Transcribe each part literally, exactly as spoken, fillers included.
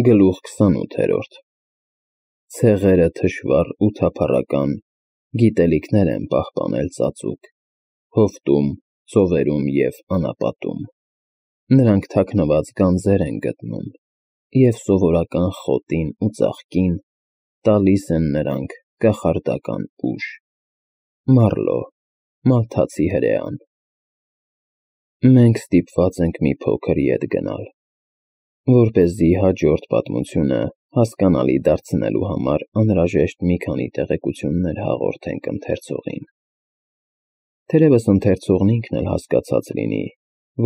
Գլուխ քսանութերորդ Ցեղերը թշվառ ու թափառական գիտելիքներ են պահպանել ծածուկ, հովտում, ծովերում և անապատում. նրանք թաքնված գանձեր են գտնում, և սովորական խոտին ու ծաղկին տալիս են նրանք կախարդական ուժ։ Մարլո, Մալթացի հրեան։ Մենք ստիպված ենք մի փոքր ետ գնալ, որպեսզի հաջորդ պատմությունը հասկանալի դարձնելու համար անհրաժեշտ մի քանի տեղեկություններ հաղորդենք ընթերցողին։ Թերևս ընթերցողն ինքն էլ հասկացած լինի,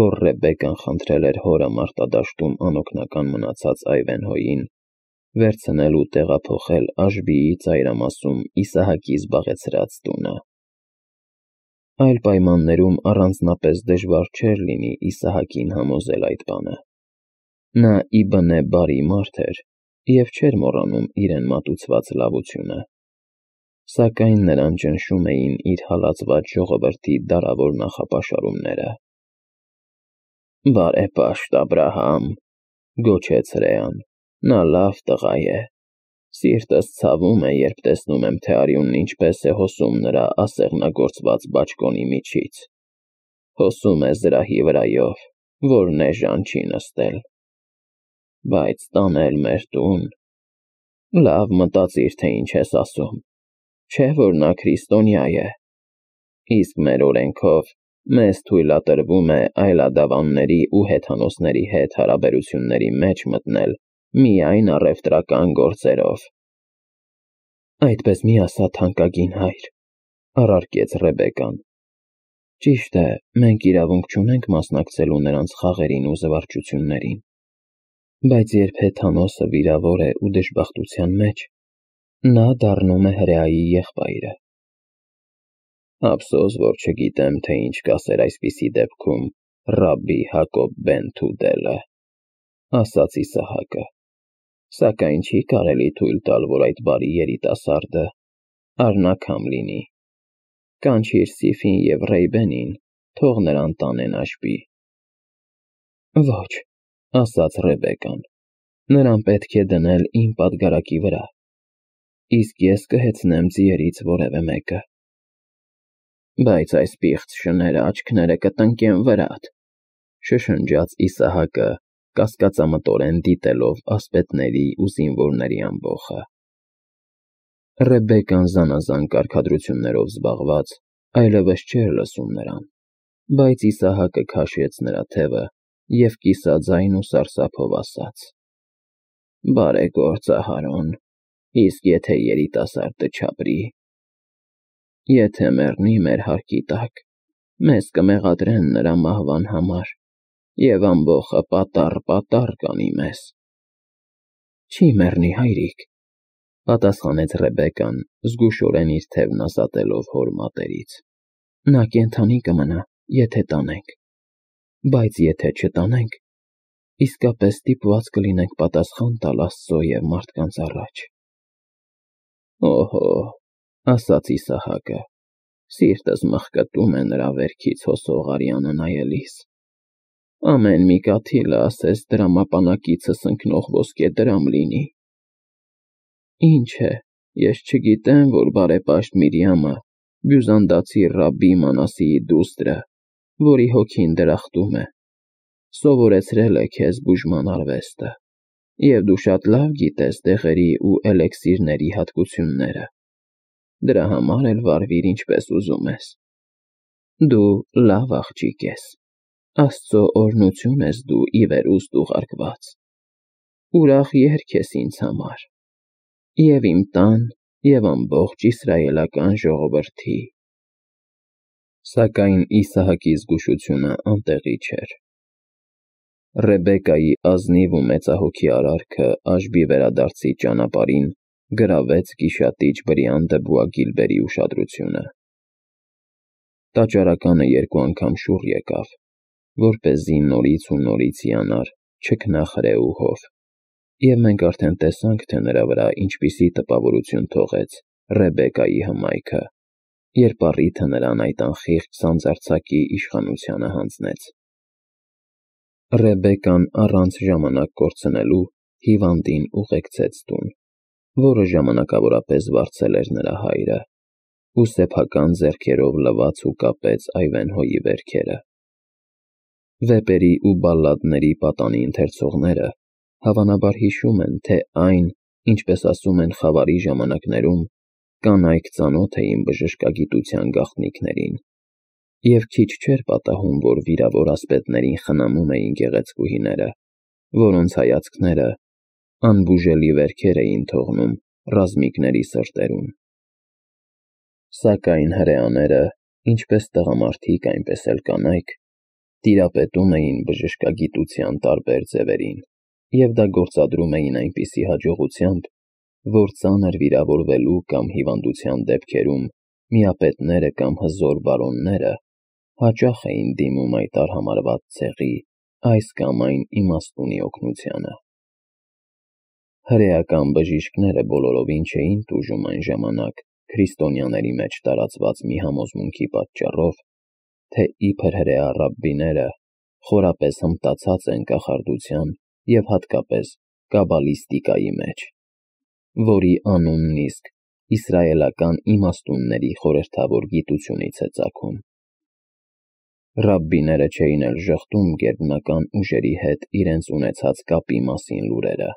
որ Ռեբեկան խնդրել էր հորը մարտադաշտում անօգնական մնացած Այվենհոյին վերցնել ու տեղափոխել Աշբիի ծայրամասում Իսահակի զբաղեցրած տունը։ Այլ պայմաններում առանձնապես դժվար չէր լինի Իսահակին համոզել այդ բանը։ Նա ի բնե բարի մարդ էր և չէր մոռանում իրեն մատուցված լավությունը, սակայն նրան ճնշում էին իր հալածված ժողովրդի դարավոր նախապաշարումները։ «Բարեպաշտ Աբրահամ,» գոչեց հրեան, «նա լավ տղա է։ Սիրտս ցավում է, երբ տեսնում եմ, թե արյունն ինչպես է հոսում նրա ասեղնագործված բաճկոնի միջից։ Հոսում է զրահի վրայով, որն էժան չի նստել։ Բայց տանել մեր տուն… Լավ մտածիր, թե ինչ ես ասում, չէ՞ որ նա քրիստոնյա է, իսկ մեր օրենքով մեզ թույլատրվում է այլադավանների ու հեթանոսների հետ հարաբերությունների մեջ մտնել միայն առևտրական գործերով»։ «Այդպես մի ասա, թանկագին հայր,» առարկեց Ռեբեկան։ «Ճիշտ է, մենք իրավունք չունենք մասնակցելու նրանց խաղերին ու զվարճություններին, բայց երբ հեթանոսը վիրավոր է ու դժբախտության մեջ, նա դառնում է հրեայի եղբայրը»։ «Ափսոս, որ չգիտեմ, թե ինչ կասեր այսպիսի դեպքում Ռաբբի Հակոբ բեն Թուդելը,» ասաց Իսահակը, «սակայն չի կարելի թույլ տալ, որ այդ բարի երիտասարդը առնաքամ լինի։ Կանչիր Սիֆին և Ռեյբենին, թող նրան տանեն Աշբի»։ «Ոչ,» ասաց Ռեբեկան, «նրան պետք է դնել իմ պատգարակի վրա, իսկ ես կհեծնեմ ձիերից որևէ մեկը»։ «Բայց այս պիղծ շները աչքները կտնկեն վրադ,» շշնջաց Իսահակը, կասկածամտորեն դիտելով ասպետների ու զինվորների ամբոխը։ Ռեբեկան զանազան կարգադրություններով զբաղված այլևս չէր լսում նրան, բայց Իսահակը քաշեց նրա թևը և կիսաձայն ու սարսափով ասաց. «Բարեգործ Ահարոն, իսկ եթե երիտասարդը չապրի, եթե մեռնի մեր հարկի տակ, մեզ կմեղադրեն նրա մահվան համար և ամբոխը պատառ-պատառ կանի մեզ»։ «Չի մեռնի, հայրիկ,» պատասխանեց Ռեբեկան, զգուշորեն իր թևն ազատելով հոր մատերից, «նա կենդանի կմնա, եթե տանենք, բայց եթե չտանենք, իսկապես ստիպված կլինենք պատասխան տալ Աստծո և մարդկանց առաջ»։ «Օհո,» ասաց Իսահակը, «սիրտս մխկտում է նրա վերքից հոսող արյանը նայելիս։ Ամեն մի կաթիլը ասես դրամապանակիցս ընկնող ոսկեդրամ լինի։ Ինչ է, ես չգիտեմ, որ բարեպաշտ Միրիամը, բյուզանդացի Ռաբբի Մանասեի դուստրը, որի հոգին դրախտում է, սովորեցրել է քեզ բուժման արվեստը, և դու շատ լավ գիտես դեղերի ու էլեքսիրների հատկությունները, դրա համար էլ վարվիր ինչպես ուզում ես։ Դու լավ աղջիկ ես, Աստծո օրհնություն ես դու ի վերուստ ուղարկված, ուրախ երգ ես ինձ համար, և իմ տան, և ամբողջ իսրայելական ժողովրդի»։ Սակայն Իսահակի զգուշությունը անտեղի չէր։ Ռեբեկայի ազնիվ ու մեծահոգի արարքը Աշբի վերադարձի ճանապարհին գրավեց գիշատիչ բրիանդը Բուագիլբերի ուշադրությունը։ Տաճարականը երկու անգամ շուռ եկավ, որպեսզի նորից ու նորից հիանար չքնաղհրեուհով, և մենք արդեն տեսանք, թե նրա վրա ինչպիսի տպավորություն թողեց Ռեբեկայի հմայքը, երբ առիթը նրան այդ անխիղճ սանձարձակի իշխանությանը հանձնեց։ Ռեբեկան առանց ժամանակ կորցնելու հիվանդին ուղեկցեց տուն, որը ժամանակավորապես վարձել էր նրա հայրը, ու սեփական ձեռքերով լվաց ու կապեց Այվենհոյի վերքերը։ Վեպերի ու բալլադների պատանի ընթերցողները հավանաբար հիշում են, թե այն, ինչպես ասում են խավարի ժամանակներում, կանայք ծանոթ էին բժշկագիտության գաղտնիքներին, և քիչ չէր պատահում, որ վիրավոր ասպետներին խնամում էին գեղեցկուհիները, որոնց հայացքները անբուժելի վերքեր էին թողնում ռազմիկների սրտերում։ Սակայն հրեաները, ինչպես տղամարդիկ, այնպես էլ կանայք, տիրապետում էին բժշկագիտության տարբեր ձևերին և դա գործադրում էին այնպիսի հաջողությամբ, որ ծանր վիրավորվելու կամ հիվանդության դեպքերում միապետները կամ հզոր բարոնները հաճախ էին դիմում այդ արհամարհված ցեղի այս կամ այն իմաստունի օգնությանը։ Հրեական բժիշկները բոլորովին չէին տուժում այն ժամանակ քրիստոնյաների մեջ տարածված մի համոզմունքի պատճառով, թե իբր հրեա ռաբբիները խորապես հմտացած են կախարդության և հատկապես կաբալիստիկայի մեջ, որի անունն իսկ իսրայելական իմաստունների խորհրդավոր գիտությունից է ծագում։ Ռաբբիները չէին էլ ժխտում գերբնական ուժերի հետ իրենց ունեցած կապի մասին լուրերը,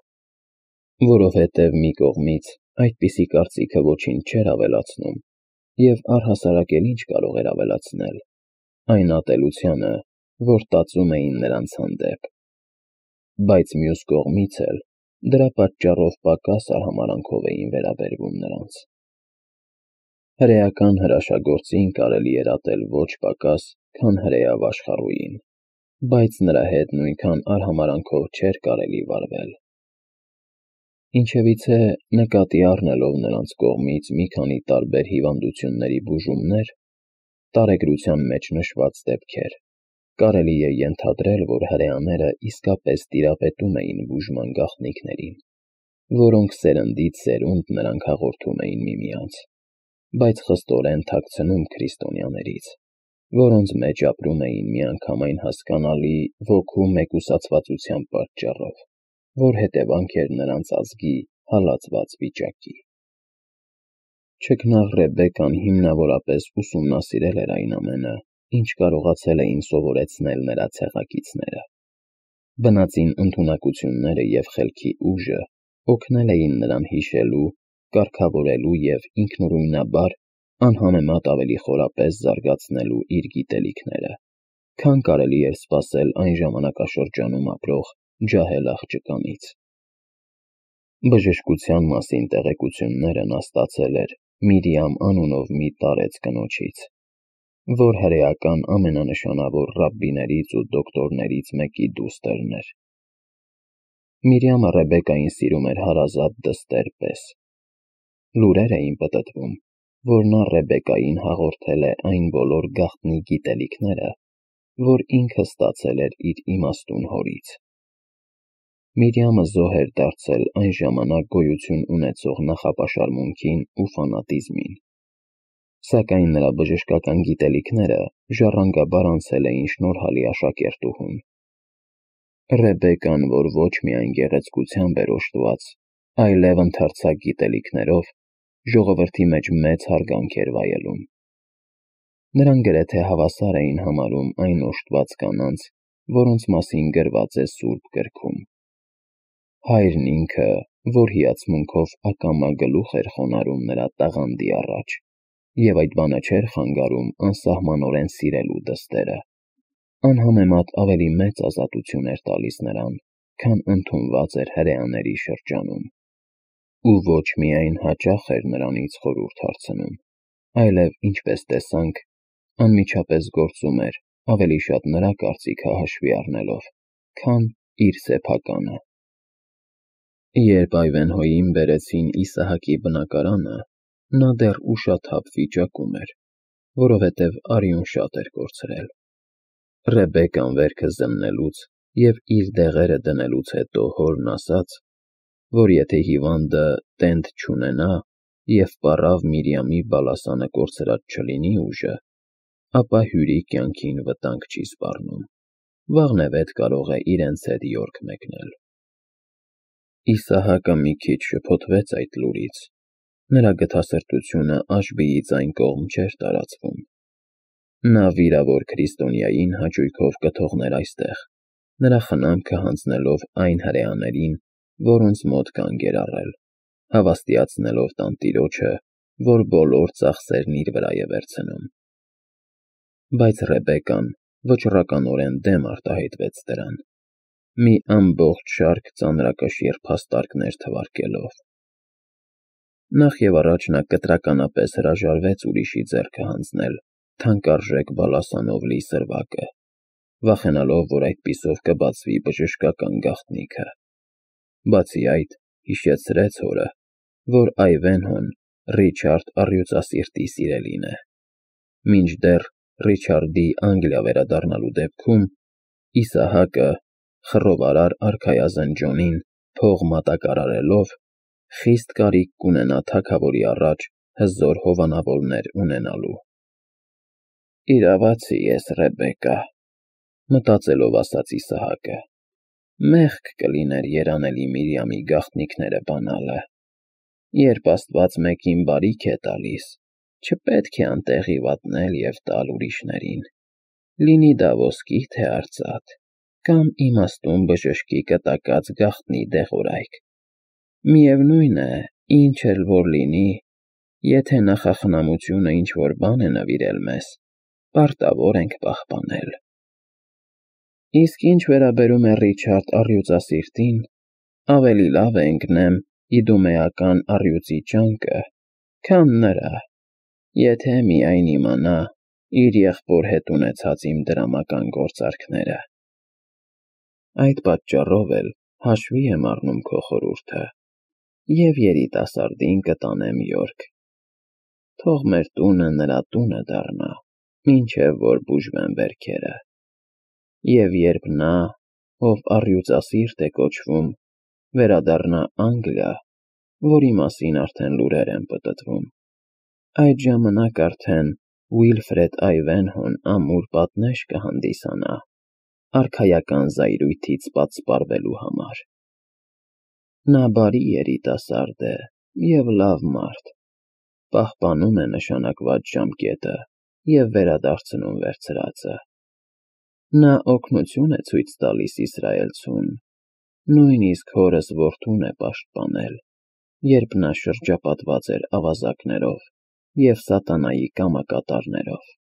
որովհետև մի կողմից այդպիսի կարծիքը ոչինչ չէր ավելացնում և առհասարակ էլ ինչ կարող էր ավելացնել այն ատելությանը, որ տածում էին նրանց հանդեպ, բայց մյուս կողմից էլ դրա պատճառով պակաս արհամարհանքով էին վերաբերվում նրանց։ Հրեական հրաշագործին կարելի էր ատել ոչ պակաս, քան հրեա վաշխառուին, բայց նրա հետ նույնքան արհամարհանքով չէր կարելի վարվել։ Ինչևիցե, նկատի առնելով նրանց կողմից մի քանի տարբեր հիվանդությունների բուժումներ, տարեգրության մեջ նշված դեպքեր, կարելի է ենթադրել, որ հրեաները իսկապես տիրապետում էին բուժման գաղտնիքներին, որոնք սերնդից սերունդ նրանք հաղորդում էին միմյանց, բայց խստորեն թաքցնում քրիստոնյաներից, որոնց մեջ ապրում էին միանգամայն հասկանալի ոգու մեկուսացվածության պատճառով, որ հետևանք էր նրանց ազգի հալածված վիճակի։ Չքնաղ Ռեբեկկան հիմնավորապես ուսումնասիրել էր այն ամենը, ինչ կարողացել էին սովորեցնել նրա ցեղակիցները։ Բնածին ընդունակությունները և խելքի ուժը օգնել էին նրան հիշելու, կարգավորելու և ինքնուրույնաբար անհամեմատ ավելի խորապես զարգացնելու իր գիտելիքները, քան կարելի էր սպասել այն ժամանակաշրջանում ապրող ջահել աղջկանից։ Բժշկության մասին տեղեկությունները նա ստացել էր Միրիամ անունով մի տարեց կնոջից, որ հրեական ամենանշանավոր ռաբբիներից ու դոկտորներից մեկի դուստր էր։ Միրիամը Ռեբեկկային սիրում էր հարազատ դստեր պես։ Լուրեր էին պտտվում, որ նա Ռեբեկկային հաղորդել է այն բոլոր գաղտնի գիտելիքները, որ ինքը ստացել էր իր իմաստուն հորից։ Միրիամը զոհ էր դարձել այն ժամանակ գոյություն ունեցող նախապաշարմունքին ու ֆանատիզմին, սակայն նրա բժշկական գիտելիքները ժառանգաբար անցել էին շնորհալի աշակերտուհուն։ Ռեբեկկան, որ ոչ միայն գեղեցկությամբ էր օժտված, այլև ընդարձակ գիտելիքներով, ժողովրդի մեջ մեծ հարգանք էր վայելում։ Նրան գրեթե հավասար էին համարում այն օժտված կանանց, որոնց մասին գրված է Սուրբ Գրքում։ Հայրն ինքը, որ հիացմունքով ակամա գլուխ էր խոնարհում նրա տաղանդի առաջ, և այդ բանը չէր խանգարում անսահմանորեն սիրելու դստերը, անհամեմատ ավելի մեծ ազատություն էր տալիս նրան, քան ընդունված էր հրեաների շրջանում, ու ոչ միայն հաճախ էր նրանից խորհուրդ հարցնում, այլև, ինչպես տեսանք, անմիջապես գործում էր ավելի շատ նրա կարծիքը հաշվի առնելով, քան իր սեփականը։ Երբ Այվենհոյին բերեցին Իսահակի բնակարանը, նա դեռ ուշաթափ վիճակում էր, որովհետև արյուն շատ էր կորցրել։ Ռեբեկկան վերքը զննելուց և իր դեղերը դնելուց հետո հորն ասաց, որ եթե հիվանդը տենդ չունենա և պառավ Միրիամի բալասանը կորցրած չլինի ուժը, ապա հյուրի կյանքին վտանգ չի սպառնում, վաղնևեթ կարող է իրենց հետ յորք մեկնել։ Իսահակը մի քիչ շփոթվեց այդ լուրից, նրա գթասրտությունը Աշբիի ձայն կողմ չէր տարածվում։ Նա վիրավոր քրիստոնյային հաճույքով կթողներ այստեղ, նրա խնամքը հանձնելով այն հրեաներին, որոնց մոտ կանգ էր առել, հավաստիացնելով տանտիրոջը, որ բոլոր ծախսերն իր վրա է վերցնում։ Բայց Ռեբեկկան վճռականորեն դեմ արտահայտվեց դրան, մի ամբողջ շարք ծանրակշիռ փաստարկներ թվարկելով։ Նախ և առաջ նա կտրականապես հրաժարվեց ուրիշի ձեռքը հանձնել թանկարժեք բալասանով լի սրվակը, վախենալով, որ այդպիսով կբացվի բժշկական գաղտնիքը։ Բացի այդ, հիշեցրեց հորը, որ Այվենհոն Ռիչարդ առյուծասիրտի սիրելին է, մինչդեռ Ռիչարդի Անգլիա վերադառնալու դեպքում Իսահակը խռովարար արքայազն Ջոնին փող մատակարարելով խիստ կարիք կունենա թագավորի առաջ հզոր հովանավորներ ունենալու։ «Իրավացի ես, Ռեբեկկա», մտածելով ասաց Իսահակը, «մեղք կլիներ երանելի Միրիամի գաղտնիքները բանալը։ Երբ Աստված մեկին բարիք է տալիս, չպետք է անտեղի վատնել և տալ ուրիշներին, լինի դա ոսկի, թե արծաթ, կամ իմաստուն բժշկի կտակած գաղտնի դեղորայք։ Միևնույն է, ինչ էլ որ լինի, եթե նախախնամությունը ինչ-որ բան է նվիրել մեզ, պարտավոր ենք պահպանել։ Իսկ ինչ վերաբերում է Ռիչարդ առյուծասիրտին, ավելի լավ է ընկնեմ իդումեական առյուծի ճանկը, քան նրա, եթե միայն իմանա իր եղբոր հետ ունեցած իմ դրամական գործարքները։ Այդ պատճառով էլ հաշվի եմ առնում քո խորհուրդը և երիտասարդին կտանեմ Յորք։ Թող մեր տունը նրա տունը դառնա, մինչև որ բուժվեն վերքերը։ Եվ երբ նա, ով առյուծասիրտ է կոչվում, վերադառնա Անգլիա, որի մասին արդեն լուրեր են պտտվում, այդ ժամանակ արդեն Ուիլֆրեդ Այվենհոն ամուր պատնեշ կհանդիսանա արքայական զայրույթից պատսպարվելու համար։ Նա բարի երիտասարդ է և լավ մարդ, պահպանում է նշանակված ժամկետը և վերադարձնում վերցրածը։ Նա օգնություն է ցույց տալիս իսրայելցուն, նույնիսկ հորս որդուն է պաշտպանել, երբ նա շրջապատված էր ավազակներով և սատանայի կամակատարներով։